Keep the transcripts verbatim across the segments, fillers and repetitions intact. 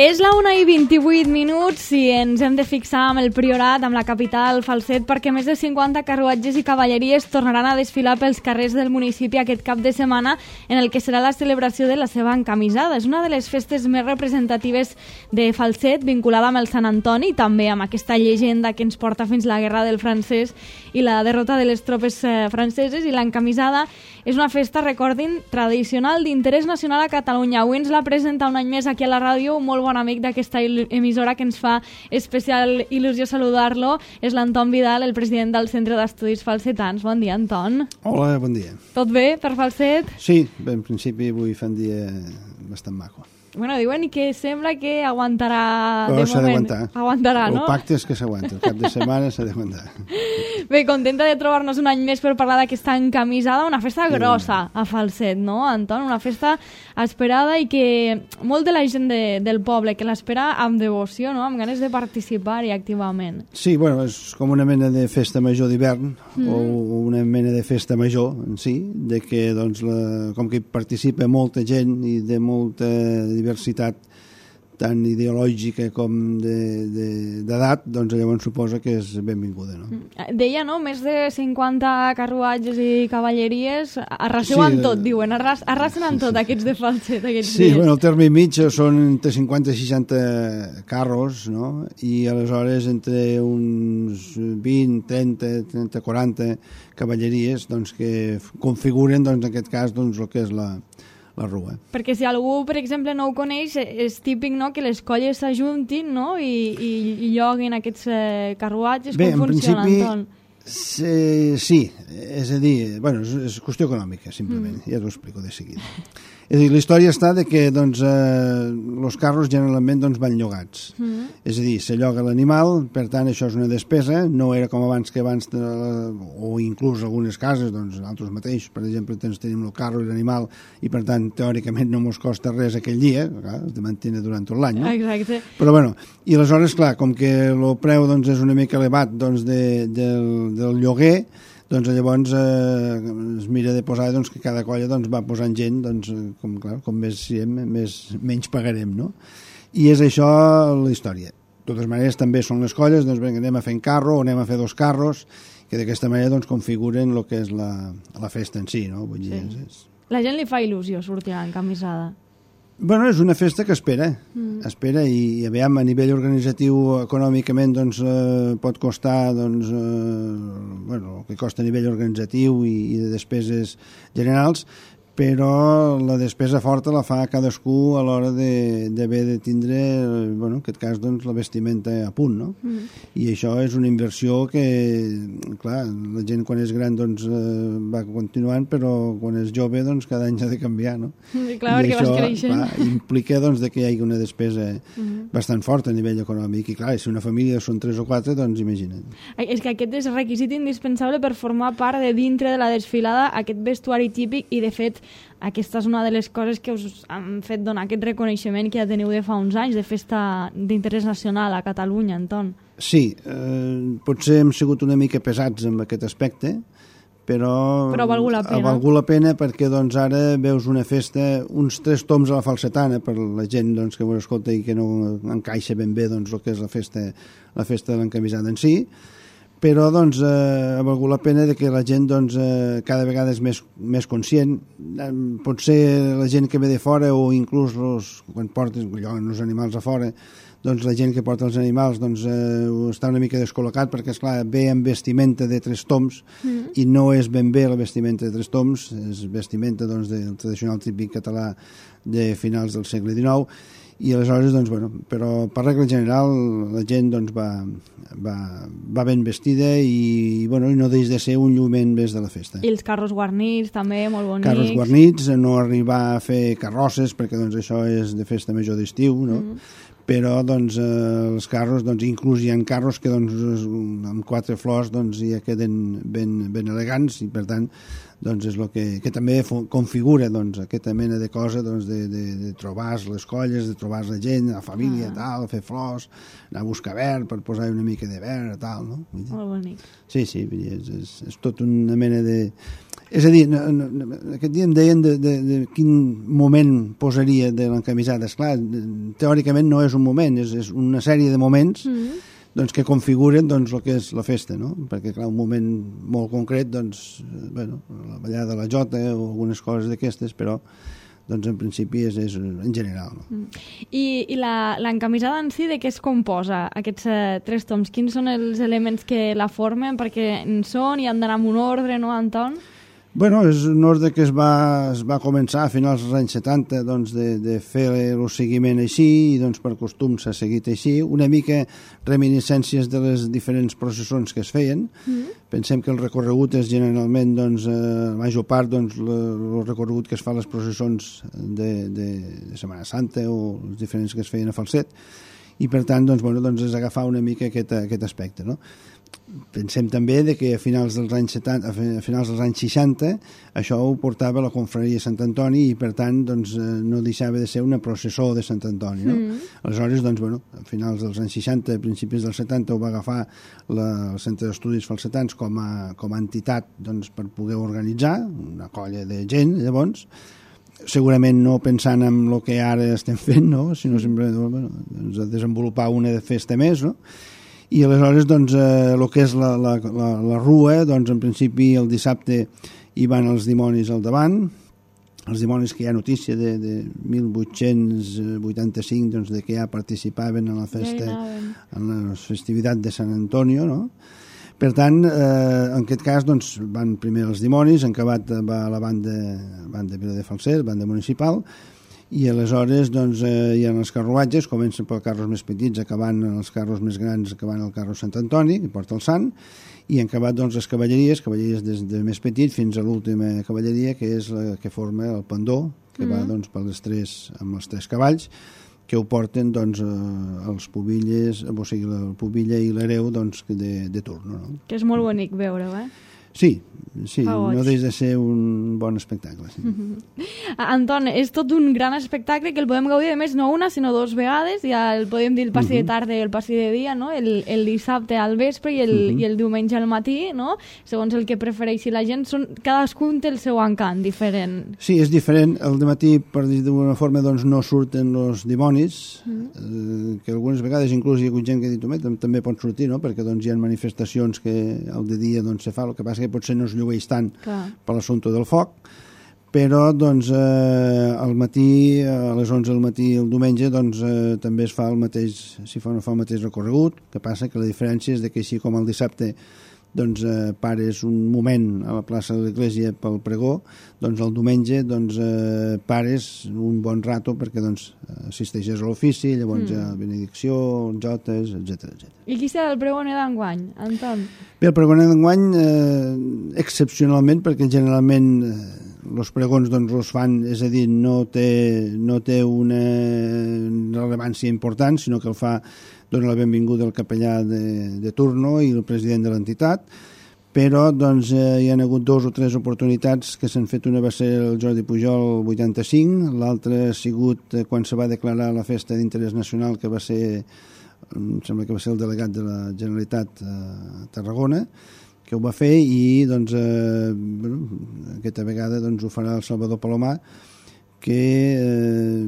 És la una i vint-i-vuit minuts i ens hem de fixar amb el Priorat, amb la capital, Falset, perquè més de cinquanta carruatges i cavalleries tornaran a desfilar pels carrers del municipi aquest cap de setmana en el que serà la celebració de la seva encamisada. És una de les festes més representatives de Falset, vinculada amb el Sant Antoni i també amb aquesta llegenda que ens porta fins la Guerra del Francès i la derrota de les tropes eh, franceses. I l'encamisada és una festa, recordin, tradicional d'interès nacional a Catalunya. Avui ens la presenta un any més aquí a la ràdio, molt bon amic d'aquesta emissora que ens fa especial il·lusió saludar-lo. És l'Anton Vidal, el president del Centre d'Estudis Falsetans. Bon dia, Anton. Hola, bon dia. Tot bé per Falset? Sí, bé, en principi avui fa un dia bastant maco. Bueno, diuen que sembla que aguantarà Però de s'ha moment. d'aguantar. Aguantarà, no? El pacte és que s'aguanta. El cap de setmana s'ha d'aguantar. Bé, contenta de trobar-nos un any més per parlar d'aquesta encamisada, una festa grossa a Falset, no, Anton? Una festa esperada i que molt de la gent de, del poble que l'espera amb devoció, no? Amb ganes de participar-hi activament. Sí, bueno, és com una mena de festa major d'hivern mm. o una mena de festa major en si, de que, doncs, la, com que hi participa molta gent i de molta diversitat tant ideològica com d'edat, de, doncs llavors suposa que és benvinguda, no? Deia, no?, més de cinquanta carruatges i cavalleries, arraseu sí, amb tot, diuen, arras, arrasen amb tot aquests de Falset, aquests sí, dies. Bueno, el terme mig són entre cinquanta i seixanta carros, no?, i aleshores entre uns vint, trenta, trenta, quaranta cavalleries, doncs, que configuren, doncs, en aquest cas, doncs, el que és la la rua. Perquè si algú, per exemple, no ho coneix, és típic, no?, que les colles s'ajuntin, no?, i, i, i lloguin aquests eh, carruatges. Bé, com funciona, Anton? Sí, sí, és a dir, bueno, és, és qüestió econòmica, simplement, mm. ja t'ho explico de seguida. És a dir, la història està de que, doncs, eh, els carros generalment, doncs, van llogats. Mm. És a dir, se lloga l'animal, per tant, això és una despesa, no era com abans que abans, de, o inclús algunes cases, doncs, altres mateixos, per exemple, tens, tenim el carro i l'animal, i per tant, teòricament, no mos costa res aquell dia, clar, es de mantenir durant tot l'any, no? Exacte. Però, bueno, i aleshores, clar, com que el preu, doncs, és una mica elevat, doncs, de, del, del lloguer, doncs llavors eh, es mira de posar, doncs, que cada colla, doncs, va posant gent, doncs, com, clar, com més siguem, més, menys pagarem, no? I és això la història. De totes maneres, també són les colles, doncs, vinga, anem a fer un carro o anem a fer dos carros, que d'aquesta manera, doncs, configuren el que és la, la festa en si, no? Vull dir, sí. és, és... La gent li fa il·lusió sortir encamisada. Bueno, és una festa que espera, mm. espera i, i aviam, a nivell organitzatiu, econòmicament, doncs, eh, pot costar, doncs, eh, bueno, el que costa a nivell organitzatiu i, i de despeses generals, però la despesa forta la fa cadascú a l'hora d'haver de, de tindre, bueno, en aquest cas, doncs, la vestimenta a punt, no? Mm. I això és una inversió que, clar, la gent quan és gran, doncs, eh, va continuant, però quan és jove, doncs, cada any s'ha de canviar, no? Sí, clar, I perquè això, vas creixent. Clar, implica, doncs, de que hi hagi una despesa mm. bastant forta a nivell econòmic. I, clar, si una família són tres o quatre, doncs, imagina't. És que aquest és requisit indispensable per formar part de dintre de la desfilada, aquest vestuari típic, i, de fet, aquesta és una de les coses que us han fet donar aquest reconeixement que ja teniu de fa uns anys de festa d'interès nacional a Catalunya, Anton. Sí, eh, potser hem sigut una mica pesats amb aquest aspecte, però, però ha valgut la pena. Ha valgut la pena perquè, doncs, ara veus una festa, uns tres toms a la falsetana per la gent, doncs, que ho escolta i que no encaixa ben bé, doncs, el que és la festa, la festa de l'encamisada en si, però, doncs, eh, ha valgut la pena de que la gent, doncs, eh, cada vegada és més, més conscient. Eh, potser la gent que ve de fora o inclús los, quan portes els animals a fora, doncs la gent que porta els animals, doncs, eh, està una mica descol·locat perquè, esclar, ve amb vestimenta de tres toms mm. i no és ben bé la vestimenta de tres toms, és vestimenta, doncs, del tradicional típic català de finals del segle dinou. I aleshores, doncs, bueno, però per regla general la gent, doncs, va, va, va ben vestida i, bueno, i no deix de ser un lluïment més de la festa. I els carros guarnits també, molt bonics. Carros guarnits, no arribar a fer carrosses, perquè, doncs, això és de festa major d'estiu, no? Mm. Però, doncs, eh, els carros, doncs, inclús hi ha carros que, doncs, amb quatre flors, doncs, ja queden ben, ben elegants i, per tant, doncs és el que, que també configura, doncs, aquesta mena de cosa, doncs, de, de, de trobar les colles, de trobar la gent, la família, ah. tal, fer flors, anar a buscar verd per posar una mica de verd, tal, no? Molt bonic. Sí, sí, és, és, és tot una mena de... És a dir, no, no, aquest dia em deien de, de, de quin moment posaria de l'encamisada. Esclar, teòricament no és un moment, és, és una sèrie de moments mm. doncs, que configuren doncs, el que és la festa, no? Perquè, clar, un moment molt concret, doncs, bueno, la ballada de la jota o algunes coses d'aquestes, però doncs en principi és, és en general. No? Mm. I, i l'encamisada en si de què es composa, aquests uh, tres toms? Quins són els elements que la formen? Perquè en són i han d'anar amb un ordre, no, Anton? Bueno, és un ordre que es va, es va començar a finals dels anys setanta doncs, de, de fer el seguiment així i doncs, per costum s'ha seguit així. Una mica reminiscències de les diferents processons que es feien. Mm. Pensem que el recorregut és generalment, doncs, eh, la major part, doncs, el recorregut que es fa a les processons de, de, de Setmana Santa o els diferents que es feien a Falset. I per tant, doncs, bueno, doncs és agafar una mica aquest, aquest aspecte, no? Pensem també de que a finals dels anys setanta, a finals dels anys seixanta això ho portava la confraria Sant Antoni i per tant doncs, no deixava de ser una processó de Sant Antoni, no? Mm. Aleshores, doncs, bueno, a finals dels anys seixanta, a principis dels setanta ho va agafar la, el Centre d'Estudis Falsetans com a, com a entitat doncs, per poder organitzar una colla de gent, llavors segurament no pensant en el que ara estem fent, no? Sinó sempre bueno, doncs, desenvolupar una festa més, no? I aleshores, doncs, eh, el que és la, la, la, la rua, doncs, en principi el dissabte hi van els dimonis al davant, els dimonis que hi ha notícia de, de mil vuit-cents vuitanta-cinc, doncs, de que ja participaven en la festa, en la festivitat de Sant Antonio, no? Per tant, eh, en aquest cas, doncs, van primer els dimonis, en acabat va la banda, banda Viladefalset, banda municipal, i aleshores doncs, eh, hi ha els carruatges, comencen pels carros més petits, acabant els carros més grans, acabant el carro Sant Antoni, que porta el sant, i han acabat doncs, les cavalleries, cavalleries des de més petit fins a l'última cavalleria, que és la que forma el pendó, que mm. va doncs, per les tres, amb els tres cavalls, que ho porten doncs, eh, els pubilles, o sigui, el pubilla i l'hereu doncs, de, de turno. No? Que és molt bonic veure-ho, eh? Sí, sí, no deixa de ser un bon espectacle. Sí. Mm-hmm. Anton, és tot un gran espectacle que el podem gaudir, a més, no una, sinó dos vegades. Ja el podem dir el passi mm-hmm. de tarda i el passi de dia, no? El, el dissabte al vespre i el, mm-hmm. i el diumenge al matí, no? Segons el que prefereixi la gent. Són, cadascun té el seu encant diferent. Sí, és diferent. El dematí, per dir d'una forma, doncs, no surten els dimonis, mm-hmm. eh, que algunes vegades inclús hi ha hagut gent que ha dit, home, també pot sortir, no? Perquè doncs, hi ha manifestacions que al de dia doncs, se fa, el que passa que potser no es llueix tant Clar. Per l'assumpte del foc, però doncs, eh, al matí, a les onze del matí el diumenge, doncs, eh, també es fa el mateix, si fa o no fa el mateix recorregut, que passa que la diferència és de que així com el dissabte doncs, eh, pares un moment a la plaça de l'església pel pregó, doncs el diumenge doncs, eh, pares un bon rato perquè doncs, assisteixes a l'ofici, llavors mm. hi ha benedicció, jotes, etcètera etcètera. I qui serà el pregoner d'enguany, Anton? Bé, el pregoner d'enguany, eh, excepcionalment, perquè generalment eh, els pregons doncs, els fan, és a dir, no té, no té una rellevància important, sinó que el fa dona la benvinguda al capellà de, de turno i el president de l'entitat, però doncs, eh, hi ha hagut dos o tres oportunitats que s'han fet. Una va ser el Jordi Pujol el vuitanta-cinc, l'altra ha sigut eh, quan se va declarar la festa d'interès nacional, que va ser, em sembla que va ser el delegat de la Generalitat a Tarragona, que ho va fer, i doncs, eh, bueno, aquesta vegada doncs, ho farà el Salvador Palomar, que eh,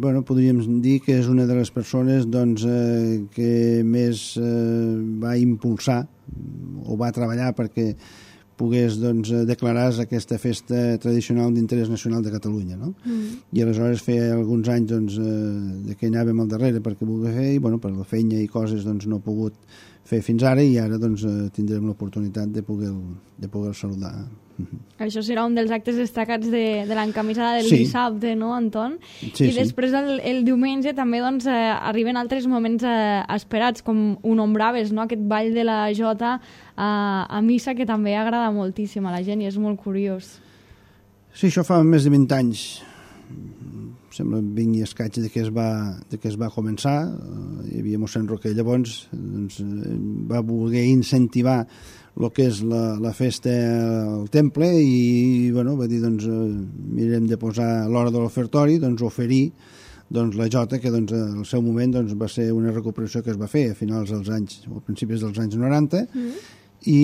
bueno, podríem dir que és una de les persones doncs, eh, que més eh, va impulsar o va treballar perquè pogués doncs, declarar aquesta festa tradicional d'interès nacional de Catalunya. No? Mm. I aleshores feia alguns anys doncs, eh, que anàvem al darrere perquè volia fer, i bueno, per la feina i coses doncs, no he pogut fer fins ara, i ara doncs, tindrem l'oportunitat de poder, de poder saludar. Això serà un dels actes destacats de, de l'encamisada del sí. dissabte, no, Anton? Sí, I després el, el diumenge també doncs, eh, arriben altres moments eh, esperats, com ho nombraves, no? Aquest ball de la jota eh, a missa, que també agrada moltíssim a la gent i és molt curiós. Sí, això fa més de vint anys. Sembla vint i escaig de que es va, de que es va començar. Hi havia mossèn Roquer llavors, doncs, va voler incentivar el que és la, la festa al temple, i bueno, va dir doncs, mirem de posar a l'hora de l'ofertori, doncs, oferir doncs, la jota, que doncs, al seu moment doncs, va ser una recuperació que es va fer a finals dels anys, o a principis dels anys noranta, mm. i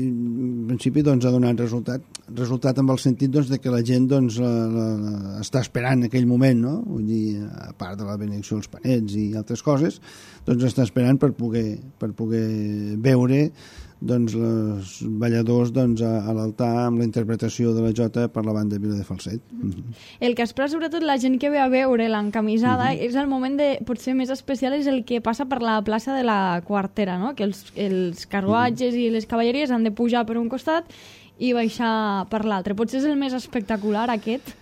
en principi doncs, ha donat resultat resultat amb el sentit doncs, de que la gent doncs, la, la, la, està esperant aquell moment, no? Vull dir, a part de la benedicció dels panets i altres coses, doncs està esperant per poder, per poder veure doncs, els balladors doncs, a, a l'altar amb la interpretació de la jota per la banda Vila de Falset. Mm-hmm. El que espera sobretot la gent que ve a veure l'encamisada mm-hmm. és el moment de, potser més especial és el que passa per la plaça de la Quartera, no? Que els, els carruatges mm-hmm. i les cavalleries han de pujar per un costat i baixar per l'altre. Potser és el més espectacular aquest?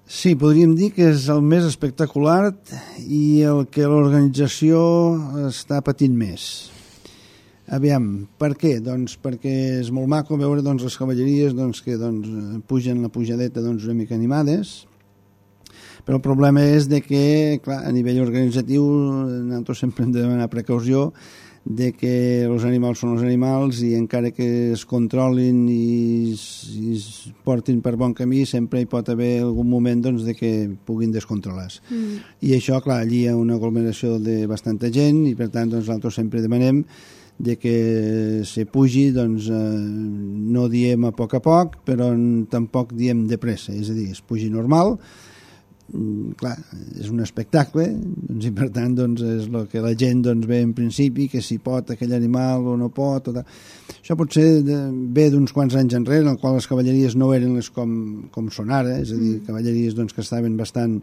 Sí, podríem dir que és el més espectacular i el que l'organització està patint més. Aviam, per què? Doncs perquè és molt maco veure doncs, les cavalleries doncs, que doncs, pugen la pujadeta doncs, una mica animades, però el problema és de que, clar, a nivell organitzatiu nosaltres sempre hem de demanar precaució de que els animals són els animals i encara que es controlin i, i es portin per bon camí sempre hi pot haver algun moment doncs, de que puguin descontrolar-se. Mm. I això, clar, allí hi ha una aglomeració de bastanta gent i per tant doncs, nosaltres sempre demanem de que se pugi, doncs eh, no diem a poc a poc, però tampoc diem de pressa, és a dir, es pugi normal. Mm, clar, és un espectacle doncs, i per tant doncs, és el que la gent doncs, ve en principi, que si pot aquell animal o no pot o això potser de, ve d'uns quants anys enrere en el qual les cavalleries no eren les com, com són ara, és a dir, cavalleries doncs, que estaven bastant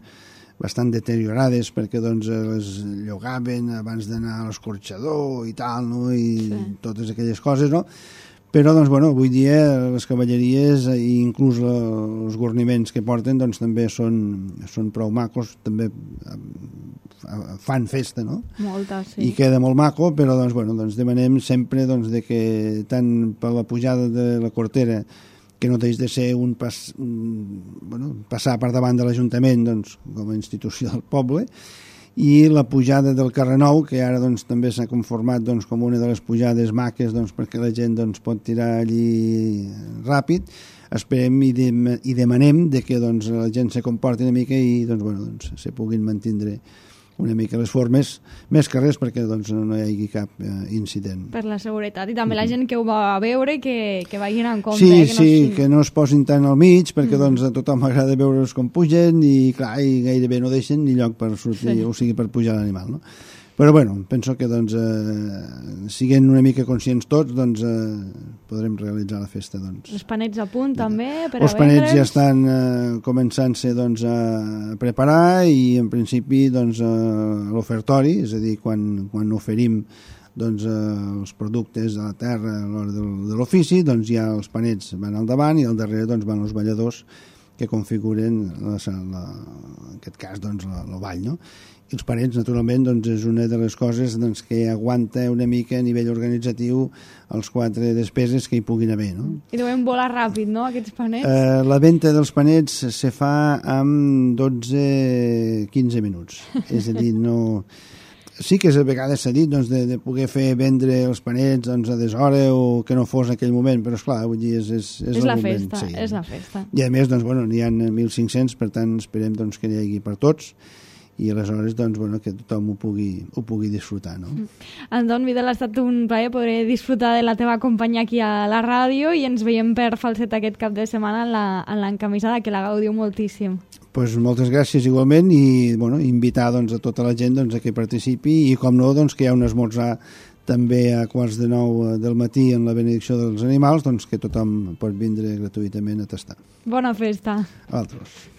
bastant deteriorades perquè doncs, les llogaven abans d'anar a l'escorxador i tal, no? I sí. Totes aquelles coses, no? Però, doncs, bueno, avui dia les cavalleries i inclús la, els guarniments que porten doncs, també són, són prou macos, també fan festa, no? Molta, sí. I queda molt maco, però doncs, bueno, doncs demanem sempre doncs, de que tant per la pujada de la Quartera que no deix de ser un, pas, un bueno, passar per davant de l'Ajuntament doncs, com a institució del poble, i la pujada del Carrer Nou, que ara doncs, també s'ha conformat doncs, com una de les pujades maques doncs, perquè la gent doncs, pot tirar allí ràpid. Esperem i, de, i demanem de que doncs, la gent se comporti una mica i doncs, bueno, doncs, se puguin mantindre una mica les formes, més que res perquè doncs, no hi hagi cap eh, incident. Per la seguretat. I també la gent que ho va a veure que, que vagin en compte. Sí, eh, que sí, no, que no es posin tant al mig perquè mm. doncs, a tothom m'agrada veure'ls com pugen i, clar, i gairebé no deixen ni lloc per sortir, sí. O sigui, per pujar l'animal, no? Però, bueno, penso que, doncs, eh, siguent una mica conscients tots, doncs, eh, podrem realitzar la festa, doncs. Els panets a punt, també, per Els a panets vendre'ls. ja estan eh, començant-se, doncs, a preparar i, en principi, doncs, a l'ofertori, és a dir, quan, quan oferim doncs, eh, els productes de la terra a l'hora de, de l'ofici, doncs ja els panets van al davant i al darrere doncs, van els balladors que configuren, la, la, en aquest cas, doncs, la, la ball, no? I els panets, naturalment, doncs, és una de les coses doncs, que aguanta una mica a nivell organitzatiu els quatre despeses que hi puguin haver, no? I deuen volar ràpid, no, aquests panets? Eh, la venda dels panets se fa amb dotze a quinze minuts. És a dir, no... Sí que a vegades s'ha dit doncs, de, de poder fer vendre els panets doncs, a deshora o que no fos en aquell moment, però esclar, vull dir, és, és, és, és el la moment. festa, Sí. és la festa. I a més, doncs, bueno, n'hi ha mil cinc-cents, per tant, esperem doncs, que n'hi hagi per tots i aleshores doncs, bueno, que tothom ho pugui, ho pugui disfrutar, no? Anton Vidal, ha estat un plaer poder disfrutar de la teva companyia aquí a la ràdio i ens veiem per Falset aquest cap de setmana en l'encamisada, que la gaudiu moltíssim. Pues moltes gràcies igualment i bueno, invitar doncs, a tota la gent doncs, a que participi i com no, doncs, que hi ha un esmorzar també a quarts de nou del matí en la benedicció dels animals, doncs que tothom pot vindre gratuïtament a tastar. Bona festa. A altres.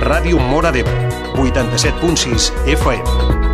Ràdio Móra d'Ebre, vuitanta-set punt sis F M.